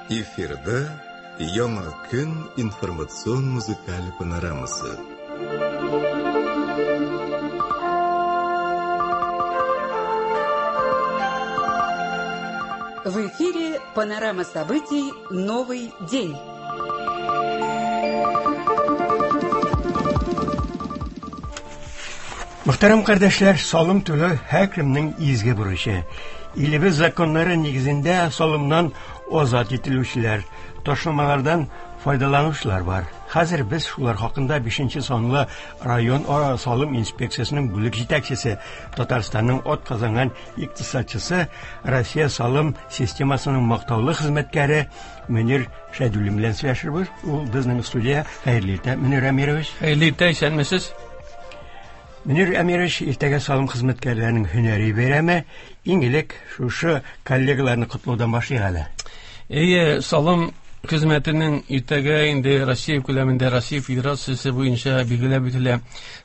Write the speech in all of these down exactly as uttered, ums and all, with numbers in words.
Эфирда Яңа көн информацион музыкаль панорамасы. В эфире панорама событий «Новый день». Мөхтәрәм кардәшләр, салым түләү һәркемнең изге бурычы. Илебез законнары нигезендә салымнан азат ителүчеләр, ташламалардан файдаланучылар бар. Хәзер без шулар хакында бишенче санлы район ара салым инспекциясенең бүлек җитәкчесе, Татарстанның атказанган икътисадчысы, Россия салым системасының мактаулы хезмәткәре Мөнир Шәйдуллин белән сөйләшербез. Ул безнең студия. Хәерле иртә, Мөнир Әмирович. Хәерле иртә, исәнмесез. Мөнир Әмирович, иртәгә салым хезмәткәрләренең һөнәри бәйрәме. Иң элек шушы коллегаларны котлаудан башлыйк әле. Әйе, салым хезмәтенең иртәгә инде Россия күләмендә, Россия Федерациясе буенча билгеләп үтелә.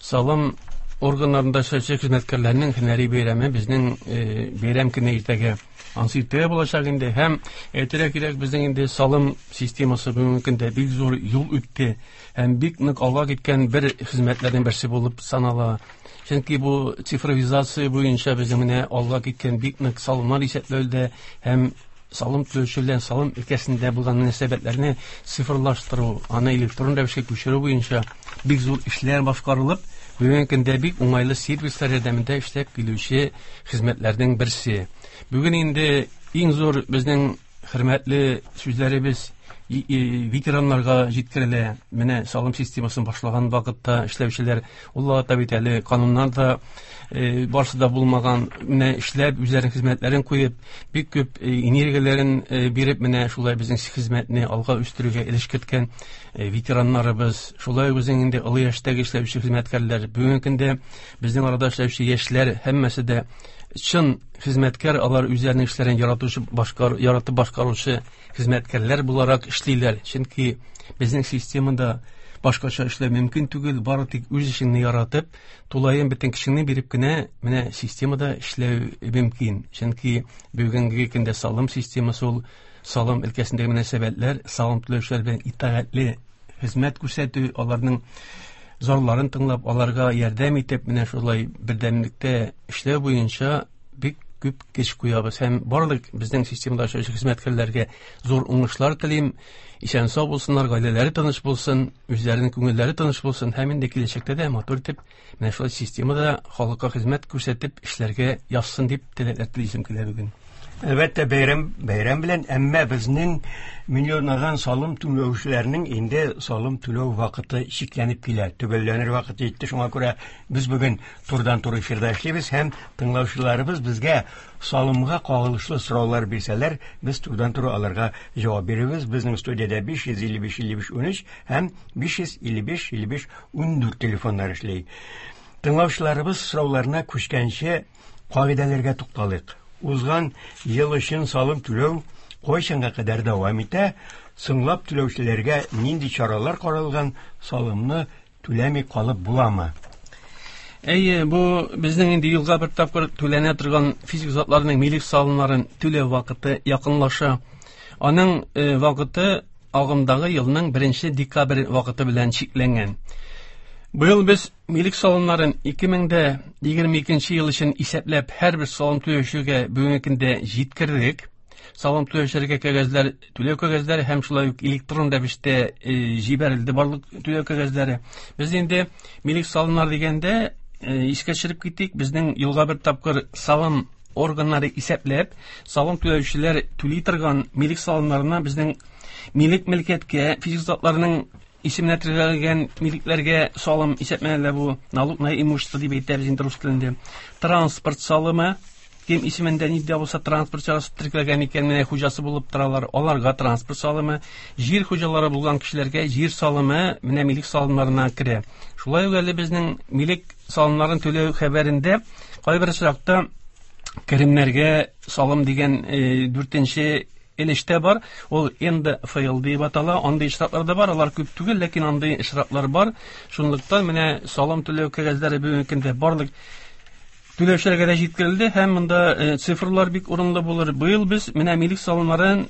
Салым органнарында эшләүче хезмәткәрләрнең һөнәри бәйрәме безнең, э, бәйрәм көне иртәгә. Ансы иртәгә булачак инде. Һәм әйтергә кирәк, безнең инде салым системасы бүгенге көндә бик зур юл үтте һәм бик нык алга киткән бер хезмәтләрнең берсе булып санала. Чөнки бу цифровизация буенча безнең менә алга киткән бик нык салымнар исәпләүдә һәм салым түләүче белән салым өлкәсендә булган мөнәсәбәтләрне цифрлаштыру, аны электрон рәвешкә күчерү буенча бик зур эшләр башкарылып, бүгенге көндә бик уңайлы сервислар ярдәмендә эшләп килүче хезмәтләрнең берсе. Бүген инде иң зур безнең хөрмәтле сүзләребез и-, и-, ветераннарга җиткерелә. Менә салым системасын башлаган вакытта эшләүчеләр, ул вакытта бит әле кануннар да, э, барысы да булмаган, менә эшләп, үзләренең хезмәтләрен куеп, бик күп, э, энергияләрен, э, биреп, менә шулай безнең хезмәтне алга үстерүгә өлеш керткән, э, ветераннарыбыз, шулай ук безнең инде олы яшьтәге эшләүче хезмәткәрләр, бүгенге көндә безнең арада эшләүче яшьләр һәммәсе дә чын хезмәткәр, алар үзләренең эшләрен яратучы, башкар-, яратып башкаручы хезмәткәрләр буларак эшлиләр. Чөнки безнең системада башкача эшләү мөмкин түгел, бары тик үз эшеңне яратып, тулаем бөтен кешеңне биреп кенә менә системада эшләү мөмкин. Чөнки бүгенге көндә салым системасы ул салым өлкәсендәге мөнәсәбәтләр, салым түләүчеләр белән итагатьле хезмәт күрсәтү, аларның зарларын тыңлап, аларга ярдәм итеп, менә шулай бердәмлектә эшләү буенча бик күп көч куябыз. Һәм барлык безнең системада эшләүче хезмәткәрләргә зур уңышлар телим. Исән сау булсыннар, гаиләләре тыныч булсын, үзләренең күңелләре тыныч булсын һәм инде киләчәктә дә матур итеп менә шулай системада халыкка хезмәт күрсәтеп эшләргә язсын дип теләкләр телисем килә бүген. Әлбәттә, бәйрәм, бәйрәм белән, әмма безнең миллионлаган салым түләүчеләрнең инде салым түләү вакыты чикләнеп килә, төгәлләнер вакыты җитте. Шуңа күрә без бүген турыдан-туры эфирда эшлибез һәм тыңлаучыларыбыз безгә салымга кагылышлы сораулар бирсәләр, без турыдан-туры аларга җавап бирербез. Безнең студиядә биш йөз илле биш илле биш унөч һәм биш йөз илле биш илле биш ундүрт телефоннар эшли. Тыңлаучыларыбыз сорауларына күчкәнче кагыйдәләргә тукталыйк. Узган ел өчен салым түләү кайчанга кадәр дәвам итә? Соңлап түләүчеләргә нинди чаралар каралган? Салымны түләми калып буламы? Әйе, бу безнең инде елга бер тапкыр түләнә торган физик затларның милек салымнарын түләү вакыты якынлаша. Аның, э, вакыты агымдагы елның беренче декабрь вакыты белән чикләнгән. Быел без милек салымнарын ике мең дә егерме икенче ел өчен исәпләп һәрбер салым түләүчегә бүгенге көндә җиткердек. Салым түләүчеләргә кәгазьләр, түләү кәгазьләре һәм шулай ук электрон рәвештә, э, җибәрелде барлык түләү кәгазьләре. Без инде милек салымнары дигәндә, э, искә төшереп китик, безнең елга бер тапкыр салым органнары исәпләп, салым түләүчеләр түли торган милек салымнарына безнең милек мөлкәткә, физик затларның исеменә теркәлгән милекләргә салым исәпләнә, бу налог на имущество дип әйтәбез инде рус телендә. Транспорт салымы, кем исемендә ни дә булса транспорт чарасы теркәлгән икән, менә хуҗасы булып торалар, аларга транспорт салымы, җир хуҗалары булган кешеләргә җир салымы менә милек салымнарына керә. Шулай ук әле безнең милек салымнарын түләү хәбәрендә кайбер очракта керемнәргә салым дигән, э, дүртенче өлештә бар, ул Н Д Ф Л дип атала. Андый очраклар да бар, алар күп түгел, ләкин андый очраклар бар. Шунлыктан менә салым түләү кәгазьләре бүгенге көндә барлык түләүчеләргә дә җиткерелде һәм монда цифрлар бик урынлы булыр. Быел без менә милек салымнарын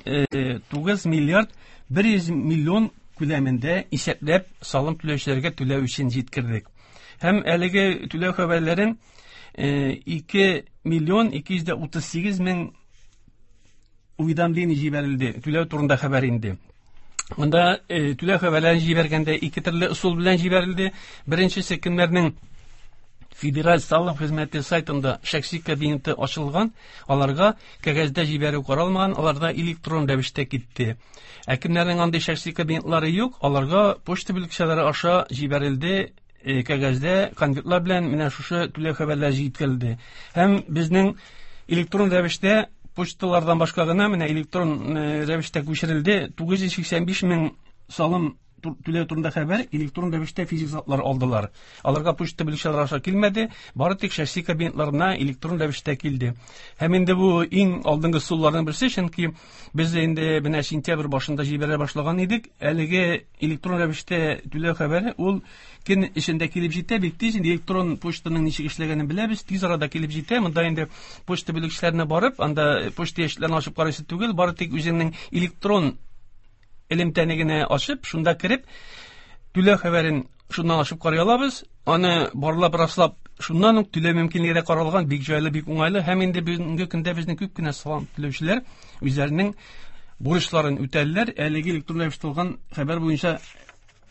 тугыз миллиард бер йөз миллион күләмендә исәпләп салым түләүчеләргә түләү өчен җиткердек. Һәм әлеге түләү хәбәрләрен ике миллион ике йөз дә утыз сигез мең уведомление җибәрелде. Түләү турында хәбәр инде. Монда түләү хәбәрләрен җибәргәндә ике төрле ысул белән җибәрелде. Беренчесе кемнәрнең Федераль салым хезмәте сайтында шәхси кабинеты ачылган, аларга кәгазьдә җибәрү каралмаган, аларда электрон рәвештә китте. Ә кемнәрнең андый шәхси кабинетлары юк, аларга почта бүлекчәләре аша җибәрелде, кәгазьдә конвертлар белән менә шушы түләү хәбәрләре җиткерелде. Һәм безнең электрон рәвештә почталардан башка гына менә электрон рәвештә күчерелде тугыз йөз сиксән биш мең салым түләү турында хәбәр электрон рәвештә физик затлар алдылар. Аларга почта бүлекчәләре аша килмәде, бары тик шәхси кабинетларына электрон рәвештә килде. Һәм инде бу иң алдынгы ысулларның берсе, чөнки без инде менә сентябрь башында җибәрә башлаган идек. Әлеге электрон рәвештә түләү хәбәре ул көн эчендә килеп җитә, бик тиз. Инде электрон почтаның ничек эшләгәнен беләбез, тиз арада килеп җитә. Монда инде почта бүлекчәләренә барып, анда почта ящикларын ачып карыйсы түгел, бары тик үзеңнең электрон элемтәне генә ачып, шунда кереп, түләү хәбәрен шуннан ачып карый алабыз. Аны барлап, раслап, шуннан ук түләү мөмкинлеге дә каралган, бик җайлы, бик уңайлы. Һәм инде бүгенге көндә безнең күп кенә салым түләүчеләр үзләренең бурычларын үтәделәр, әлеге электрон рәвештә алган хәбәр буенча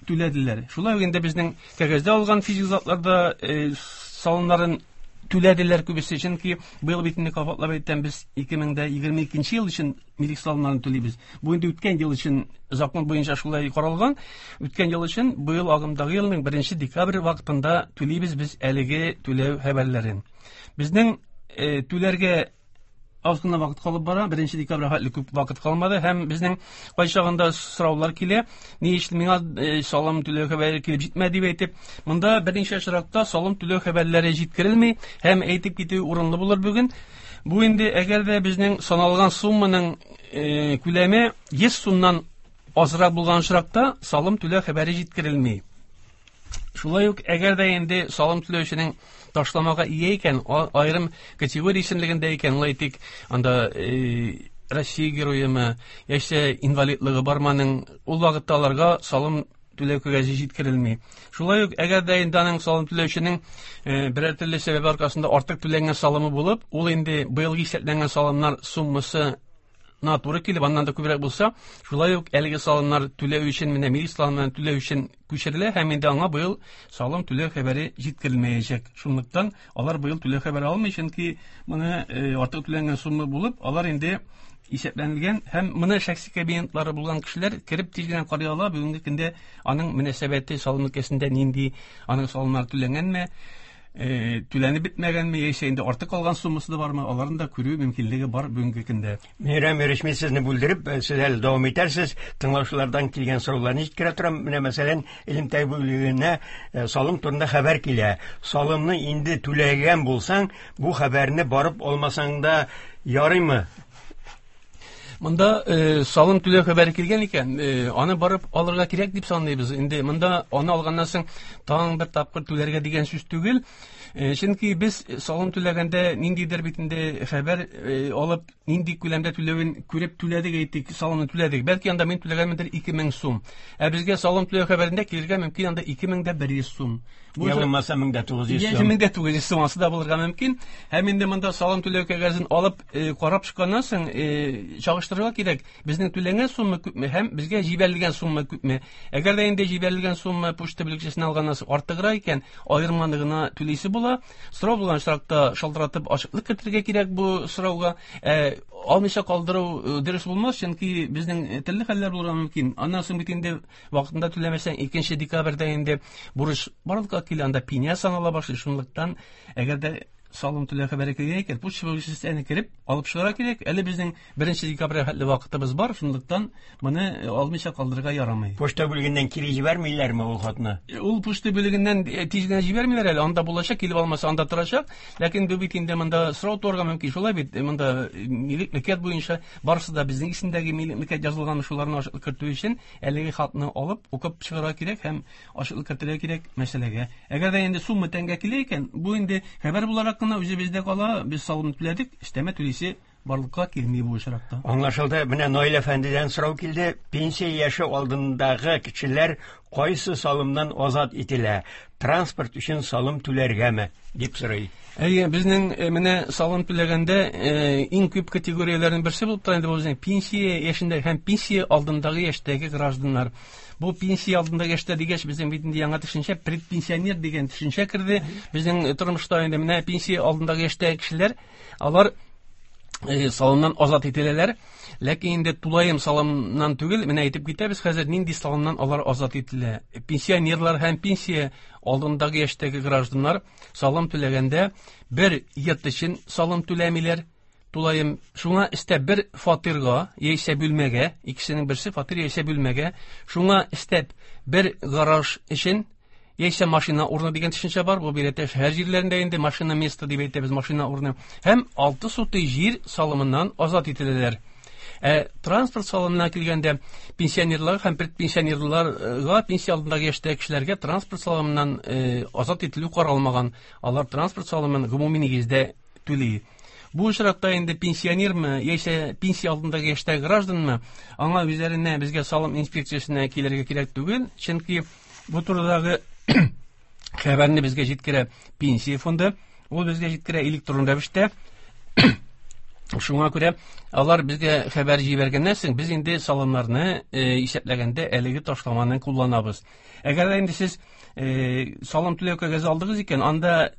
түләделәр. Шулай ук инде безнең кәгазьдә алган физик затларда салымнарын түләделәр күбесе, чөнки быел бит инде кабатлап әйтәм, без ике мең дә егерме икенче ел өчен милек салымнарын түлибез. Бу инде үткән ел өчен закон буенча шулай каралган. Үткән ел өчен быел агымдагы елның беренче декабрь вакытында түлибез без әлеге түләү хәбәрләрен. Безнең түләргә аз гына вакыт калып бара, беренче декабрь хәтле күп вакыт калмады һәм безнең кайчагында сораулар килә, ни өчен миңа салым түләү хәбәре килеп җитмәде дип әйтеп, монда берничә очракта салым түләү хәбәрләре җиткерелми һәм әйтеп китү урынлы булыр бүген. Бу инде әгәр дә безнең саналган сумманың күләме йөз сумнан азрак булган очракта салым түләү хәбәре җиткерелми. Шулай ук әгәр дә инде салым түләүченең ташламага ия икән, аерым категория исемлегендә икән, ул әйтик, анда Россия героемы, яисә инвалидлыгы барманың, ул вакытта аларга салым түләү кәгазе җиткерелми. Шулай ук әгәр дә инде аның салым түләүченең берәр төрле сәбәп аркасында артык түләнгән салымы булып, ул инде быелгы исәпләнгән салымнар суммасы на туры килеп, аннан да күбрәк булса, шулай ук әлеге салымнар түләү өчен, менә милек салымнарын түләү өчен күчерелә һәм инде аңа быел салым түләү хәбәре җиткерелмәячәк. Шунлыктан алар быел түләү хәбәре алмый, чөнки моны артык түләнгән сумма булып, алар инде исәпләнелгән һәм моны шәхси кабинетлары булган кешеләр кереп тиз генә карый ала. Бүгенге көндә аның мөнәсәбәте салым өлкәсендә нинди, аның салымнары түләнгәнме, түләнеп бетмәгәнме, яисә инде артык калган суммасы да бармы, аларны да күрү мөмкинлеге бар бүгенге көндә. Мейрам Юрьевич, мин сезне бүлдереп, сез әле дәвам итәрсез, тыңлаучылардан килгән сорауларны җиткерә торам. Менә мәсәлән, элемтә бүлегенә салым турында хәбәр килә. Салымны инде түләгән булсаң, бу хәбәрне барып алмасаң да ярыймы? Монда салым түләү хәбәре килгән икән, аны барып алырга кирәк дип саныйбыз. Инде монда аны алганнан соң тагын бер тапкыр түләргә дигән сүз түгел. Чөнки без салым түләгәндә ниндидер бит инде хәбәр алып, нинди күләмдә түләвен күреп түләдек, әйтик, салымны түләдек. Бәлки анда мин түләгәнмендер ике мең сум. Ә безгә салым түләү хәбәрендә килергә мөмкин анда ике мең дә бер йөз сум. Я булмаса мең дә тугыз йөз сум. Я мең дә тугыз йөз сум асы да булырга мөмкин. Һәм инде монда салым түләү кәгазен алып, карап чыкканнан соң, чагыштырырга кирәк. Безнең түләнгән сумма күпме һәм безгә җибәрелгән сумма күпме. Әгәр дә инде җибәрелгән сумма почта бүлекчәсеннән алганнан соң артыграк икән, аерманы гына түлисе була. Сорау булган очракта шалтыратып ачыклык китерергә кирәк бу сорауга. Ә, алмыйча калдыру дөрес булмас, чөнки безнең төрле хәлләр булырга мөмкин. Аннан соң бит инде вакытында түләмәсәң, икенче декабрьдә инде бурыч барлыкка килә, анда пеня санала башлый. Шунлыктан әгәр дә салым түләү хәбәре килгән икән, почта бүлекчәсенә кереп алып чыгарга кирәк. Әле безнең беренче декабрьгә хәтле вакытыбыз бар, шунлыктан моны алмыйча калдырырга ярамый. Почта бүлегеннән кире җибәрмиләрме ул хатны? Ул почта бүлегеннән тиз генә җибәрмиләр әле, анда булачак, килеп алмаса анда торачак. Ләкин бу бит инде монда сорау туарга мөмкин. Шулай бит, монда милек мөлкәт буенча барысы да безнең исемдәге милек мөлкәт язылган, шуларны ачыклык кертү өчен әлеге хатны алып укып чыгарга кирәк һәм ачыклык кертергә кирәк мәсьәләгә. Әгәр дә инде сумма тәңгә килә икән, бу инде хәбәр буларак кына үзебездә кала, без салым түләдек, өстәмә түлисе барлыкка килми бу очракта. Аңлашылды. Менә Наил әфәндедән сорау килде. Пенсия яше алдындагы кешеләр кайсы салымнан азат ителә? Транспорт өчен салым түләргәме? Дип сорый. Әйе, безнең менә салым түләгәндә иң күп категорияләрнең берсе булып тора инде бу безнең пенсия яшендәге һәм пенсия алдындагы яшьтәге гражданнар. Бу пенсия алдындагы яшьтә дигәч, безнең бит инде яңа төшенчә предпенсионер дигән төшенчә керде. Безнең тормышта инде менә пенсия алдындагы яшьтәге кешеләр, алар салымнан азат ителәләр. Ләкин инде тулаем салымнан түгел, менә әйтеп китәбез хәзер нинди салымнан алар азат ителә. Пенсионерлар һәм пенсия алдындагы яшьтәге гражданнар салым түләгәндә бер йорт өчен салым түләмиләр. Тулаем шуңа өстәп бер фатирга яисә бүлмәгә, икесенең берсе фатир яисә бүлмәгә, шуңа өстәп бер гараж өчен яисә машина урыны дигән төшенчә бар. Бу биләтә шәһәр җирләрендә инде машина место дип әйтәбез, машина урыны. Һәм алты сутый җир салымыннан азат ителәләр. Ә транспорт салымына килгәндә пенсионерлар һәм предпенсионерларга, пенсия алдындагы яшьтәге кешеләргә транспорт салымыннан азат ителү каралмаган. Алар транспорт салымын гомуми нигездә түли. Бу очракта инде пенсионермы яисә пенсия алдындагы яшьтәге гражданмы, аңа үзләренә безгә салым инспекциясенә килергә кирәк түгел, чөнки бу турыдагы хәбәрне безгә җиткерә пенсия фонды, ул безгә җиткерә электрон рәвештә. Шуңа күрә алар безгә хәбәр җибәргәннән соң без инде салымнарны исәпләгәндә әлеге ташламаны кулланабыз. Әгәр дә инде сез салым түләү кәгазе алдыгыз икән, анда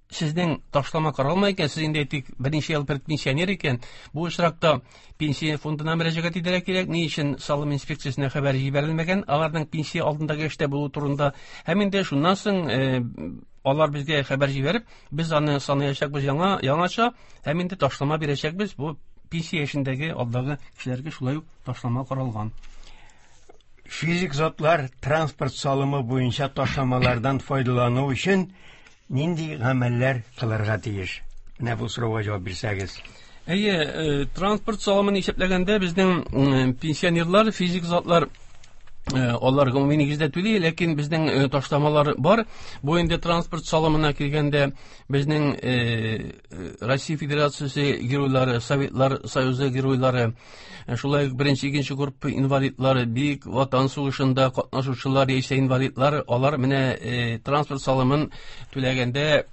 сезнең ташлама каралмай икән, сез инде әйтик берничә ел пенсионер икән, бу очракта пенсия фондына мөрәҗәгать итәргә кирәк. Ни өчен салым инспекциясенә хәбәр җибәрелмәгән, аларның пенсия алдындагы эштә булу турында. Һәм инде шуннан соң алар безгә хәбәр җибәреп, без аны санаячакбыз яңа, яңача, һәм инде ташлама бирәчәкбез. Бу пенсия яшендәге алдагы кешеләргә шулай ук ташлама каралган. Физик затлар транспорт салымы буенча ташламалардан файдалану өчен нинди гамәлләр кылырга тиеш? Менә бу сорауга җавап бирсәгез. Әйе, транспорт салымын исәпләгәндә безнең пенсионерлар, физик затлар алар гомуми нигездә түли, ләкин безнең ташламалар бар. Бу инде транспорт салымына килгәндә безнең Россия Федерациясе геройлары, Советлар Союзы геройлары, шулай ук беренче, икенче группа инвалидлары, Бөек Ватан сугышында катнашучылар яисә инвалидлар, алар менә транспорт салымын түләгәндә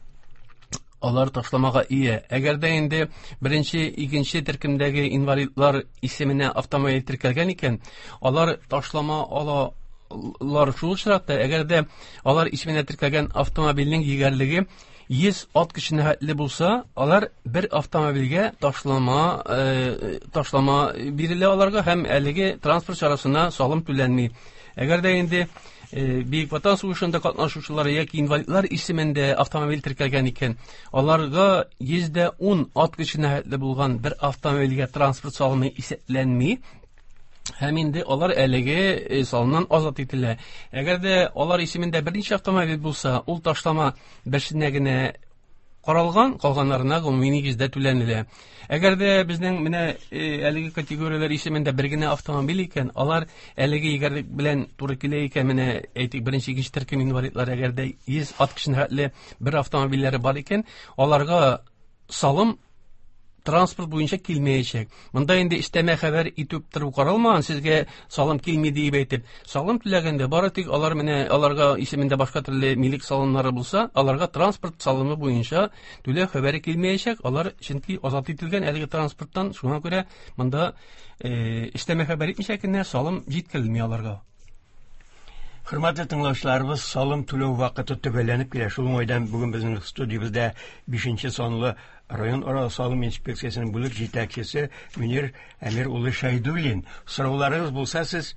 алар ташламага ия. Әгәр дә инде беренче, икенче төркемдәге инвалидлар исеменә автомобиль теркәлгән икән, алар ташлама алалар шул очракта, әгәр дә алар исеменә теркәлгән автомобильнең егәрлеге йөз ат көченә хәтле булса, алар бер автомобильгә ташлама, э, ташлама бирелә аларга һәм әлеге транспорт чарасына салым түләнми. Әгәр дә инде Бөек Ватан сугышында катнашучылар яки инвалидлар исемендә автомобиль теркәлгән икән, аларга йөз дә ун ат көченә хәтле булган бер автомобильгә транспорт салымы исәпләнми. Һәм инде алар әлеге салымнан азат ителә. Әгәр дә алар исемендә берничә автомобиль булса, ул ташлама берсенә генә каралган, калганнарына гомуми нигездә түләнелә. Әгәр дә безнең менә әлеге категорияләр исемендә бер генә автомобиль икән, алар әлеге егәрлек белән туры килә икән, менә әйтик, беренче, икенче төркем инвалидлар, әгәр дә йөз ат көченә хәтле бер автомобильләре бар икән, аларга салым транспорт буенча килмәячәк. Монда инде өстәмә хәбәр итеп тору каралмаган, сезгә салым килми дип әйтеп. Салым түләгәндә бары тик алар менә аларга исемендә башка төрле милек салымнары булса, аларга транспорт салымы буенча түләү хәбәре килмәячәк. Алар чөнки азат ителгән әлеге транспорттан, шуңа күрә монда өстәмә хәбәр итмичә генә салым җиткерелми аларга. Хөрмәтле тыңлаучыларыбыз, салым түләү вакыты төгәлләнеп килә. Шул уңайдан бүген безнең студиябездә бишенче санлы район ара салым инспекциясенең бүлек җитәкчесе Мөнир Әмир улы Шәйдуллин. Сорауларыгыз булса, сез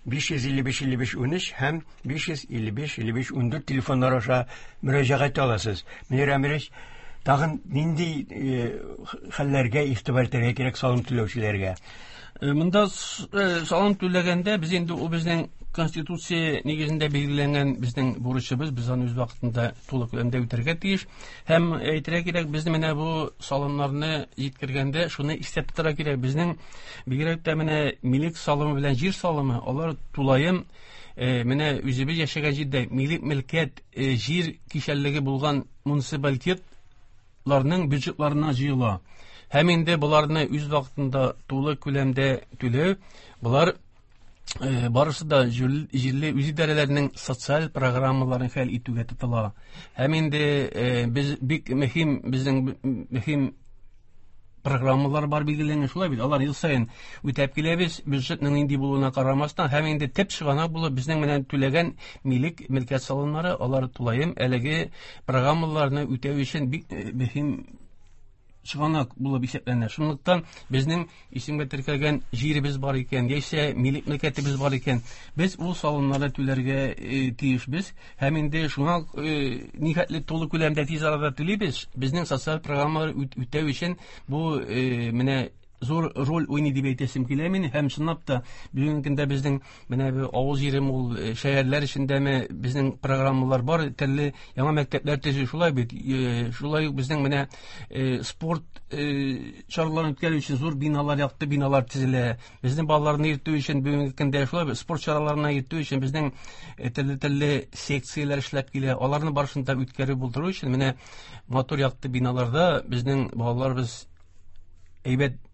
биш йөз илле биш илле биш унөч һәм биш йөз илле биш илле биш ундүрт телефоннар аша мөрәҗәгать итә аласыз. Мөнир Әмирович, тагын нинди хәлләргә игътибар итәргә кирәк салым түләүчеләргә? Монда салым түләгәндә без инде ул безнең Конституция нигезендә билгеләнгән безнең бурычыбыз, без аны үз вакытында тулы күләмдә үтәргә тиеш. Һәм әйтергә кирәк, без менә бу салымнарны җиткергәндә шуны истә тотарга кирәк. Безнең бигрәк тә менә милек салымы белән җир салымы, алар тулаем менә үзебез яшәгән җирдә милек, мөлкәт, җир кишәрлеге булган муниципалитет Ларның бюджетларына җыела. Һәм инде боларны үз вакытында тулы күләмдә түләү, болар э, барысы да җирле үзидарәләрнең социаль программаларын хәл итүгә тотыла. Һәм инде э, без бик мөһим, безнең мөһим программалар бар билгеләнгән, шулай бит. Алар ел саен үтәп киләбез, бюджетның нинди булуына карамастан, һәм инде төп чыганак булып безнең менән түләгән милек, мөлкәт салымнары, алар тулаем әлеге программаларны үтәү өчен бик мөһим чыганак булып исәпләнә. Шунлыктан безнең исемгә теркәлгән җиребез бар икән, яисә милек мөлкәтебез бар икән, без ул салымнарны түләргә э, тиешбез. Һәм инде шуңа э, нихәтле тулы күләмдә тиз арада түлибез, безнең социаль программалар үтәү өчен бу э, менә зур роль уйный дип әйтәсем килә мин. Һәм чынлап та бүгенге көндә безнең менә бу авыл җирем ул шәһәрләр эчендәме безнең программалар бар, төрле яңа мәктәпләр төзү, шулай бит. Шулай ук безнең менә спорт чараларын үткәрү өчен зур биналар, якты биналар төзелә. Безнең балаларны йөртү өчен бүгенге көндә шулай бит, спорт чараларына йөртү өчен безнең төрле-төрле секцияләр эшләп килә. Аларны барысын да үткәрү булдыру өчен менә матур якты биналарда безнең балаларыбыз әйбәт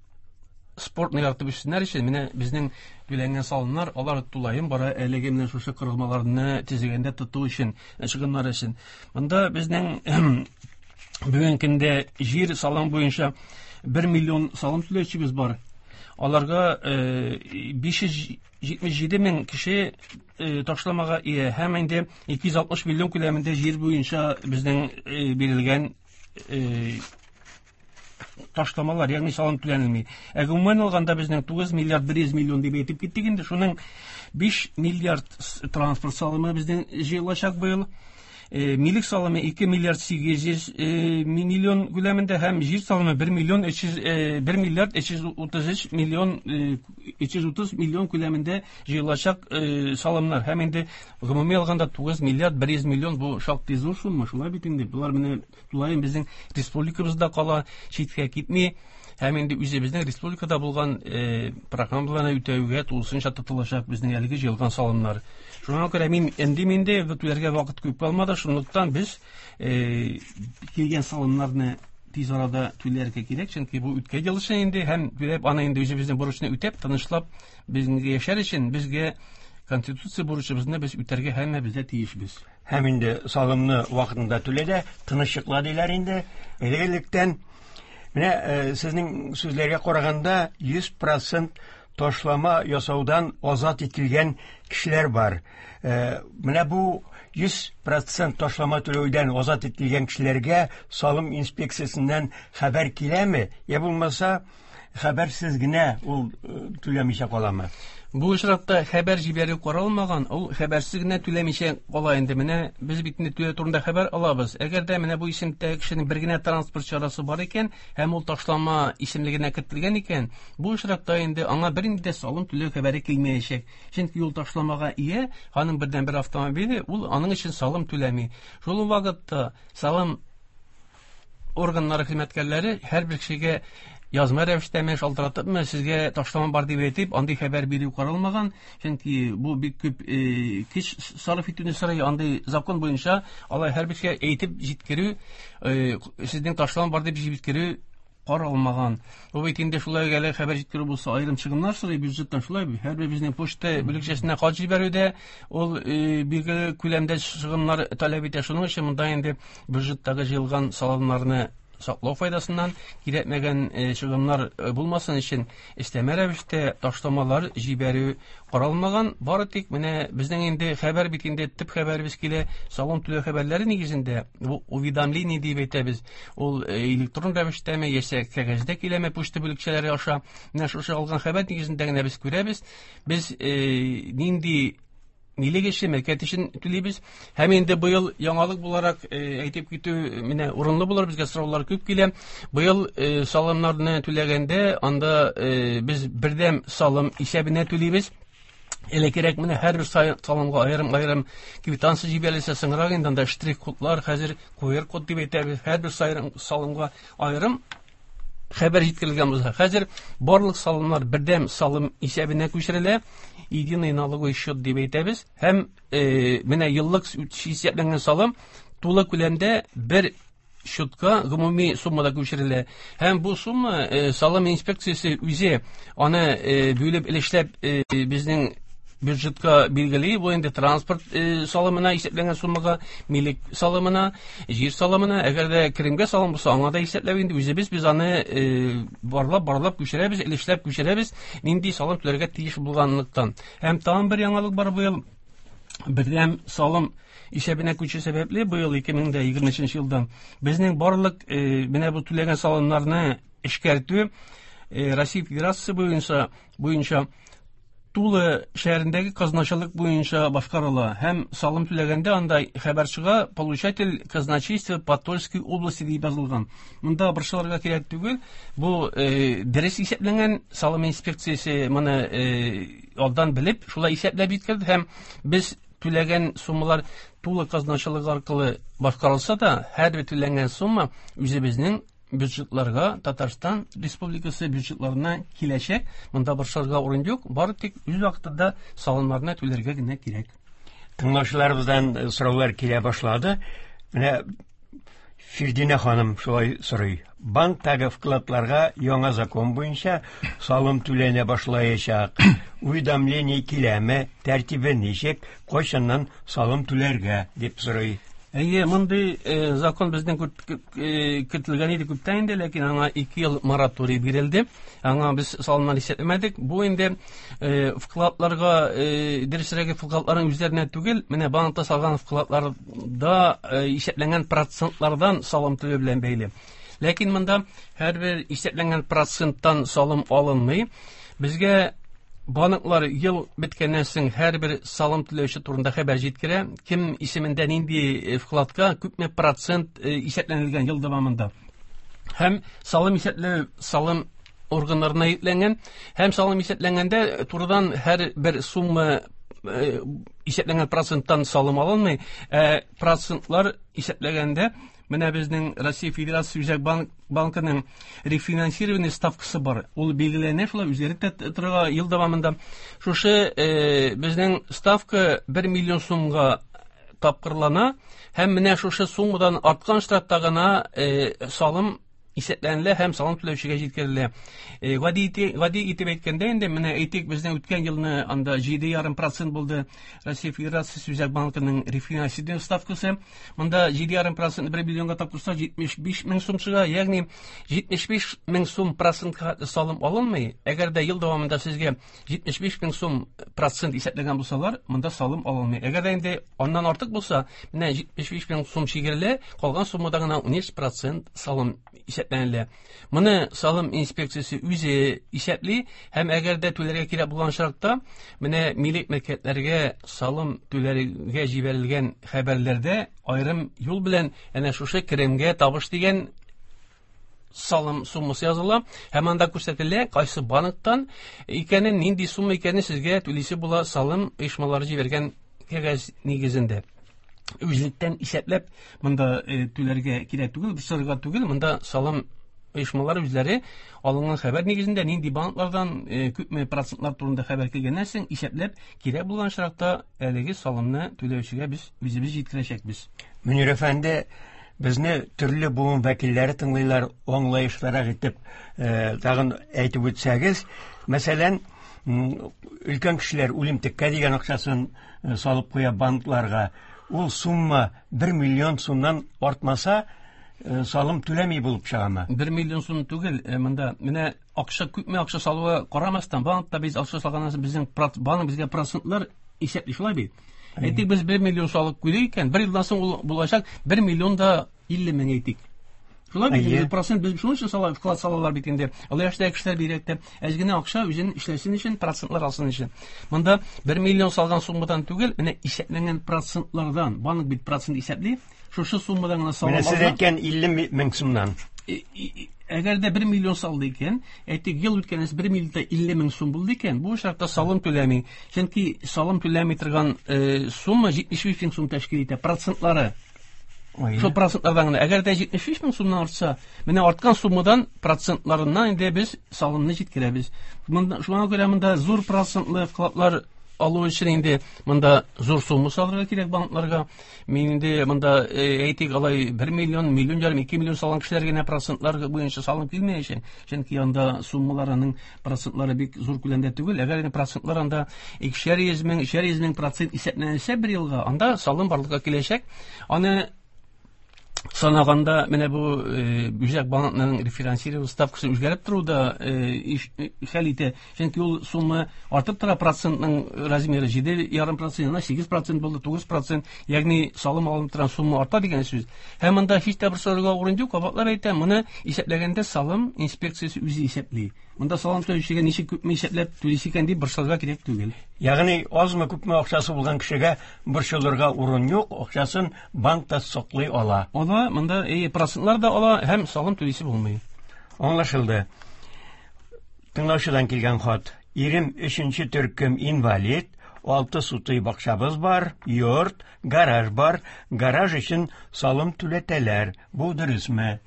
спортны яратып үссеннәр өчен менә безнең түләнгән салымнар, алар тулаем бара әлеге менә шушы корылмаларны төзегәндә тоту өчен, чыгымнар өчен. Монда безнең бүгенге көндә җир салым буенча бер миллион салым түләүчебез бар. Аларга биш йөз җитмеш җиде мең кеше ташламага ия һәм инде ике йөз алтмыш миллион күләмендә җир буенча безнең бирелгән ташламалар, ягъни салым түләнелми. Ә гомумән алганда безнең тугыз миллиард бер йөз миллион дип әйтеп киттек инде. Шуның биш миллиард транспорт салымы безнең җыелачак быел. Милек салымы ике миллиард сигез йөз миллион күләмендә һәм җир салымы бер миллион өч йөз, бер миллиард өч йөз утыз өч миллион, өч йөз утыз миллион күләмендә җыелачак салымнар. Һәм инде гомуми алганда тугыз миллиард бер йөз миллион, бу шактый зур сумма, шулай бит инде. Болар менә тулаем безнең республикабызда кала, читкә китми. Һәм инде үзебезнең республикада булган программаларны үтәүгә тулысынча тотылачак безнең әлеге җыелган салымнар. Шуңа күрә мин инде инде түләргә вакыт күп калмады, шунлыктан без килгән салымнарны тиз арада түләргә кирәк, чөнки бу үткән ел өчен инде һәм түләп аны инде үзебезнең бурычны үтәп, тынычлап безгә яшәр өчен безгә конституция бурычыбызны без үтәргә һәммәбез дә тиешбез. Һәм инде салымны вакытында түлә дә тыныч йокла диләр инде. Элек-электән менә сезнең сүзләргә караганда йөз процент ташлама ясаудан азат ителгән кешеләр бар. Менә бу йөз процент ташлама түләүдән азат ителгән кешеләргә салым инспекциясеннән хәбәр киләме? Я булмаса, хәбәрсез генә ул түләмичә каламы? Бу очракта хәбәр җибәрү каралмаган, ул хәбәрсез генә түләмичә кала инде. Менә без бит инде түләү турында хәбәр алабыз. Әгәр дә менә бу исемдәге кешенең бер генә транспорт чарасы бар икән һәм ул ташлама исемлегенә кертелгән икән, бу очракта инде аңа бернинди дә салым түләү хәбәре килмәячәк. Чөнки ул ташламага ия, аның бердән-бер автомобиле, ул аның өчен салым түләми. Шул ук вакытта салым органнары хезмәткәрләре һәрбер кешегә язма рәвештәме, шалтыратыпмы, сезгә ташлама бар дип әйтеп, андый хәбәр бирү каралмаган, чөнки бу бик күп көч сарыф итүне сорый. Андый закон буенча алай һәрбер кешегә әйтеп җиткерү, сезнең ташлама бар дип җиткерү каралмаган. Бу бит инде шулай әле хәбәр җиткерү булса, аерым чыгымнар сорый бюджеттан, шулай бит. Һәрбер безнең почта бүлекчәсенә хат җибәрүдә ул билгеле күләмдә чыгымнар таләп итә. Шуның өчен монда инде бюджеттагы җыелган салымнарны саклау файдасыннан кирәкмәгән чыгымнар булмасын өчен өстәмә рәвештә ташламалар җибәрү каралмаган. Бары тик менә безнең инде хәбәр бит инде төп хәбәребез килә салым түләү хәбәрләре нигезендә, бу уведомление дип әйтәбез. Ул электрон рәвештәме яисә кәгазьдә киләме почта бүлекчәләре аша. Менә шушы алган хәбәр нигезендә генә без күрәбез. Без нинди милек өчен, мөлкәт өчен түлибез. Һәм инде быел яңалык буларак әйтеп китү менә урынлы булыр, безгә сораулар күп килә. Быел салымнарны түләгәндә анда без бердәм салым исәбенә түлибез. Элеккерәк менә һәрбер салымга аерым-аерым квитанция җибәрелсә, соңрак инде анда штрих-кодлар, хәзер ку эр код дип әйтәбез, һәрбер салымга аерым хәбәр җиткерелгән булса, хәзер барлык салымнар бердәм салым исәбенә күчерелә, единый налоговый счет дип әйтәбез. Һәм менә еллык исәпләнгән салым тулы күләмдә бер счетка гомуми суммада күчерелә. Һәм бу сумма э, салым инспекциясе үзе аны э, бүлеп өлешләп э, безнең бюджетка билгели. Бу инде транспорт э, салымына исәпләнгән суммага, милек салымына, җир салымына, әгәр дә керемгә салым булса, аңа да исәпләп инде үзебез без аны э, барлап барлап күчерәбез, өлешләп күчерәбез, нинди салым түләргә тиеш булганлыктан. Һәм тагын бер яңалык бар быел. Бердәм салым исәбенә күчү сәбәпле быел ике мең дә егерме өченче елдан безнең барлык, э, менә бу түләгән салымнарны эшкәртү, э, Россия Федерациясе буенча, буенча Тула шәһәрендәге казначылык буенча башкарыла. Һәм салым түләгәндә анда хәбәр чыга, получатель казначейство по Тульской области дип язылган. Монда борчылырга кирәк түгел. Бу, э, дөрес исәпләнгән, салым инспекциясе моны, э, алдан белеп, шулай исәпләп җиткерде һәм без түләгән суммалар Тула казначылыгы аркылы башкарылса да, һәрбер түләнгән сумма үзебезнең бюджетларга, Татарстан Республикасы бюджетларына киләчәк. Монда борчылырга урын юк, бары тик үз вакытында салымнарны түләргә генә кирәк. Тыңлаучыларыбыздан, э, сораулар килә башлады. Менә Фирдинә ханым шулай сорый. Банктагы вкладларга яңа закон буенча салым түләнә башлаячак. Уведомление киләме, тәртибе ничек, кайчаннан салым түләргә дип сорый. Әйе, мондый, э, закон безнең күп, э, көтелгән иде күптән инде, ләкин аңа ике ел мораторий бирелде. Аңа без салымнар исәпләмәдек. Бу инде, э, вкладларга, э, дөресрәге вкладларның үзләренә түгел, менә банкта салган вкладларда, э, исәпләнгән процентлардан салым түләү белән бәйле. Ләкин монда һәрбер исәпләнгән проценттан салым алынмый. Безгә банклар ел беткәннән соң һәрбер салым түләүче турында хәбәр җиткерә. Кем исемендә нинди, э, вкладка күпме процент, э, исәпләнелгән ел дәвамында. Һәм салым исәпләү салым органнарына йөкләнгән. Һәм салым исәпләнгәндә турыдан һәрбер сумма, э, исәпләнгән проценттан салым алынмый. Ә процентлар исәпләгәндә менә безнең Россия Федерация Үзәк банк, банкының рефинансирование ставкасы бар. Ул билгеләнә, шулай үзгәреп тә торырга ел дәвамында. Шушы, э, безнең ставка бер миллион сумга тапкырлана һәм менә шушы суммадан арткан штрафта гына, э, салым исәпләнелә һәм салым түләүчегә җиткерелә. Э, гади ите-, гади итеп әйткәндә инде, менә әйтик, безнең үткән елны анда җиде ярым процент булды Россия Федерациясе Үзәк банкының рефинансирование ставкасы. Монда җиде ярым процент бер миллионга тапкырса җитмеш биш мең сум чыга, ягъни җитмеш биш мең сум процентка салым алынмый. Әгәр дә ел дәвамында сезгә җитмеш биш мең сум процент исәпләгән булсалар, монда салым алынмый. Әгәр дә инде аннан артык булса, менә җитмеш биш мең сум чигерелә, калган суммада гына унөч процент салым исәпләнелә. Моны салым инспекциясе үзе исәпли һәм әгәр дә түләргә кирәк булган очракта, менә милек мөлкәтләргә салым түләргә җибәрелгән хәбәрләрдә аерым юл белән әнә шушы керемгә табыш дигән салым суммасы языла һәм анда күрсәтелә кайсы банктан икәнен, нинди сумма икәнен сезгә түлисе була салым оешмалары җибәргән кәгазь нигезендә. Үзлектән исәпләп монда, э, түләргә кирәк түгел, борчылырга түгел, монда салым оешмалары үзләре алынган хәбәр нигезендә нинди банклардан, э, күпме процентлар турында хәбәр килгәннән соң исәпләп кирәк булган очракта әлеге салымны түләүчегә без үзебез җиткерәчәкбез. Мөнир әфәнде, безне төрле буын вәкилләре тыңлыйлар, аңлаешлырак итеп, э, тагын әйтеп үтсәгез, мәсәлән, м, өлкән кешеләр үлемтеккә дигән акчасын, э, салып куя банкларга. Ул сумма бер миллион сумнан артмаса, э, салым түләми булып чыгамы? Бер миллион сум түгел, э, монда менә акча күпме акча салуга карамастан, банкта без акча салганнан соң безнең проц-, банк безгә процентлар исәпли, шулай бит? Әйе. Әйтик, без бер миллион салып куйдык икән, бер елдан соң ул булачак бер миллион да илле мең әйтик. Шулай бит, Әйе. инде процент без шуның өчен сала, вклад салалар бит инде. Олы яшьтәге кешеләр бигрәк тә әз генә акча үзен эшләсен өчен, процентлар алсын өчен. Монда бер миллион салган суммадан түгел, менә исәпләнгән процентлардан, банк бит процент исәпли, шушы суммадан гына салым Менә сез алса әйткән илле ми-, мең сумнан. Э, и, и, әгәр дә бер миллион салды икән, әйтик, ел үткәннән соң бер миллион да илле мең сум булды икән, бу очракта салым түләми. Чөнки салым түләми торган, э, сумма җитмеш биш мең сум тәшкил итә, процентлары. Ой. Шул процентлардан гына. Әгәр дә җитмеш биш мең сумнан артса, менә арткан суммадан процентларыннан инде без салымны җиткерәбез. Монда, шуңа күрә монда зур процентлы вкладлар алу өчен инде монда зур сумма салырга кирәк банкларга. Мин инде монда әйтик алай бер миллион, миллион ярым, ике миллион салган кешеләр генә процентлар буенча салым килмәячәк. Чөнки анда суммаларының процентлары бик зур күләмдә түгел. Әгәр инде процентлар анда икешәр йөз мең, өчәр йөз мең процент исәпләнсә бер елга, анда салым барлыкка киләчәк. Аны санаганда менә бу үзәк банкның рефинансирование ставкасы үзгәреп тору да хәл итә. Чөнки ул сумма артып тора, процентның размеры җиде ярым процент, сигез процент булды, тугыз процент, ягъни салым алынып торган сумма арта дигән сүз. Һәм монда һич тә борчылырга урын юк, кабатлап әйтәм, моны исәпләгәндә салым инспекциясе үзе исәпли. Монда салым түләүчегә ничек күпме исәпләп түлисе икән дип борчылырга кирәк түгел. Ягъни азмы күпме акчасы булган кешегә борчылырга урын юк, акчасын банкта саклый ала. Ала, монда э, процентлар да ала һәм салым түлисе булмый. Аңлашылды. Тыңлаучыдан килгән хат. Ирем өченче төркем инвалид, алты сутый бакчабыз бар, йорт, гараж бар, гараж өчен салым түләтәләр. Бу дөресме?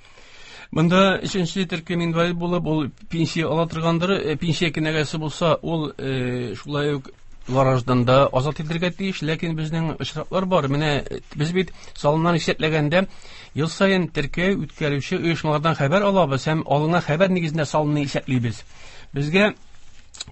Монда өченче төркем инвалид булып, ул пенсия ала торгандыр, пенсия кенәгәсе булса, ул э, шулай ук гараждан да азат ителергә тиеш, ләкин безнең очраклар бар. Менә без бит салымнар исәпләгәндә ел саен теркәү үткәрүче оешмалардан хәбәр алабыз һәм алынган хәбәр нигезендә салымны исәплибез. Безгә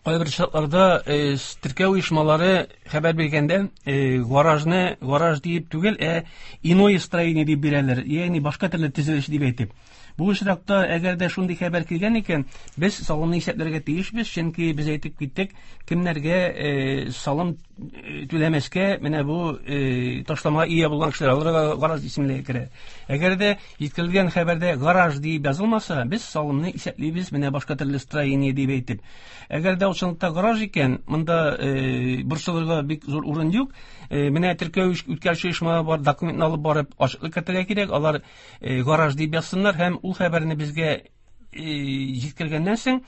кайбер шартларда э, теркәү оешмалары хәбәр биргәндә э, гаражны гараж дип түгел, ә иное строение дип бирәләр, ягъни башка төрле төзелеш дип әйтеп. Бу очракта әгәр дә шундый хәбәр килгән икән, без салымны исәпләргә тиешбез, чөнки без әйтеп киттек, кемнәргә э, салым түләмәскә, менә бу э, ташламага ия булган кешеләр, аларга гараж исемлеге керә. Әгәр дә җиткерелгән хәбәрдә гараж дип язылмаса, без салымны исәплибез, менә башка төрле строение дип әйтеп. Әгәр дә ул чынлыкта гараж икән, монда э, борчылырга бик зур урын юк. Э, менә теркәү үткәрүче оешма бар, документны алып барып ачыклык кертергә кирәк, алар э, гараж дип язсыннар һәм ул хәбәрне безгә җиткергәннән соң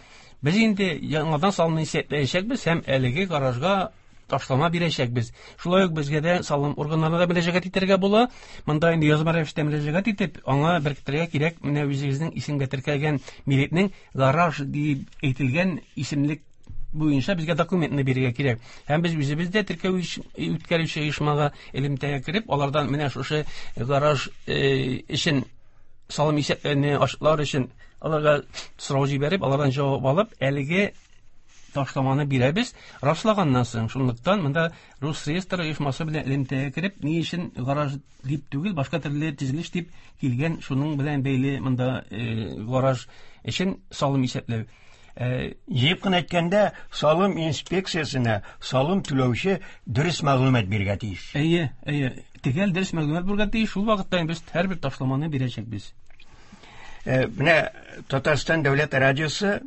без инде яңадан салымны исәпләячәкбез һәм әлеге гаражга ташлама бирәчәкбез. Шулай ук безгә дә салым органнарына да мөрәҗәгать итәргә була. Монда инде язма рәвештә мөрәҗәгать итеп, аңа беркетергә кирәк менә үзегезнең исемгә теркәлгән милекнең гараж дип әйтелгән исемлек буенча безгә документны бирергә кирәк. Һәм без үзебез дә теркәү үткәрүче оешмага элемтәгә кереп, алардан менә шушы гараж өчен салым исәпләрне ачыклар өчен аларга сорау җибәреп, алардан җавап алып, әлеге ташламаны бирәбез. Раслаганнан соң, шунлыктан монда Росреестр оешмасы белән элемтәгә кереп, ни өчен гараж дип түгел, башка төрле төзелеш дип килгән, шуның белән бәйле монда гараж өчен салым исәпләү. Җыеп кына әйткәндә, салым инспекциясенә салым түләүче дөрес мәгълүмат бирергә тиеш. Әйе, әйе. Төгәл дөрес мәгълүмат бирергә тиеш. Шул вакытта без һәрбер ташламаны бирәчәкбез. Менә Татарстан дәүләт радиосы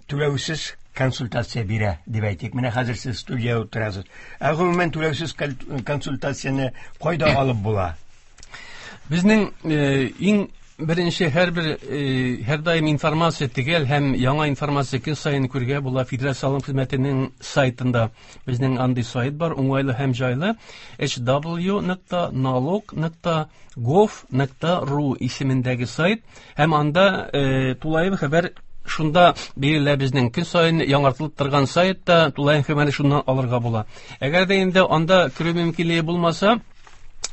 түләүсез консультация бирә, дип әйтик. Менә хәзер сез студиядә утырасыз. Ә гомумән түләүсез консультацияне кайда алып була? Безнең иң беренче һәрбер һәрдаим информация төгәл һәм яңа информация көн саен күрергә була Федераль салым хезмәтенең сайтында. Безнең андый сайт бар, уңайлы һәм җайлы. эйч дабл ю нокта налог нокта гов нокта ру исемендәге сайт һәм анда тулаем хәбәр шунда бирелә. Безнең көн саен яңартылып торган сайтта тулаем хәбәрне шуннан алырга була. Әгәр дә инде анда керү мөмкинлеге булмаса,